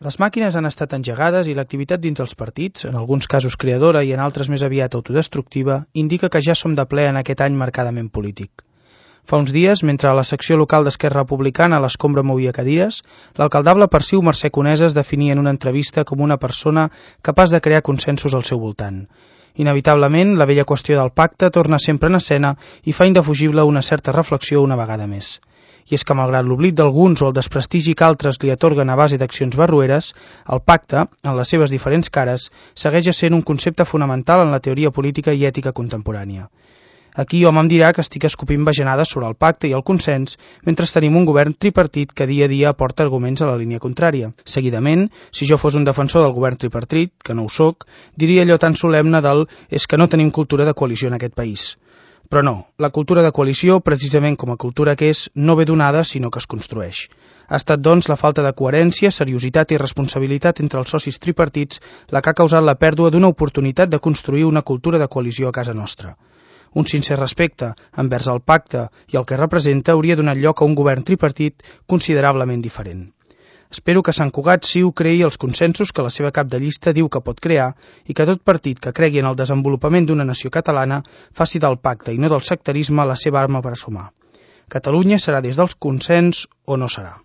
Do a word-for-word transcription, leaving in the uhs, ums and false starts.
Les màquines han estat engegades i l'activitat dins els partits, en alguns casos creadora i en altres més aviat autodestructiva, indica que ja som de ple en aquest any marcadament polític. Fa uns dies, mentre a la secció local d'Esquerra Republicana l'escombra movia cadires, l'alcaldable Perciu Mercè Conesa es definia en una entrevista com una persona capaç de crear consensos al seu voltant. Inevitablement, la vella qüestió del pacte torna sempre en escena i fa indefugible una certa reflexió una vegada més. I és que, malgrat l'oblit d'alguns o el desprestigi que altres li atorguen a base d'accions barroeres, el pacte, en les seves diferents cares, segueix sent un concepte fonamental en la teoria política i ètica contemporània. Aquí hom em dirà que estic escopint bajanades sobre el pacte i el consens mentre tenim un govern tripartit que dia a dia aporta arguments a la línia contrària. Seguidament, si jo fos un defensor del govern tripartit, que no ho soc, diria allò tan solemne del «és que no tenim cultura de coalició en aquest país». Però no, la cultura de coalició, precisament com a cultura que és, no ve donada, sinó que es construeix. Ha estat, doncs, la falta de coherència, seriositat i responsabilitat entre els socis tripartits la que ha causat la pèrdua d'una oportunitat de construir una cultura de coalició a casa nostra. Un sincer respecte envers el pacte i el que representa hauria donat lloc a un govern tripartit considerablement diferent. Espero que Sant Cugat Ciu creï els consensos que la seva cap de llista diu que pot crear i que tot partit que cregui en el desenvolupament d'una nació catalana faci del pacte i no del sectarisme la seva arma per a sumar. Catalunya serà des del consens o no serà.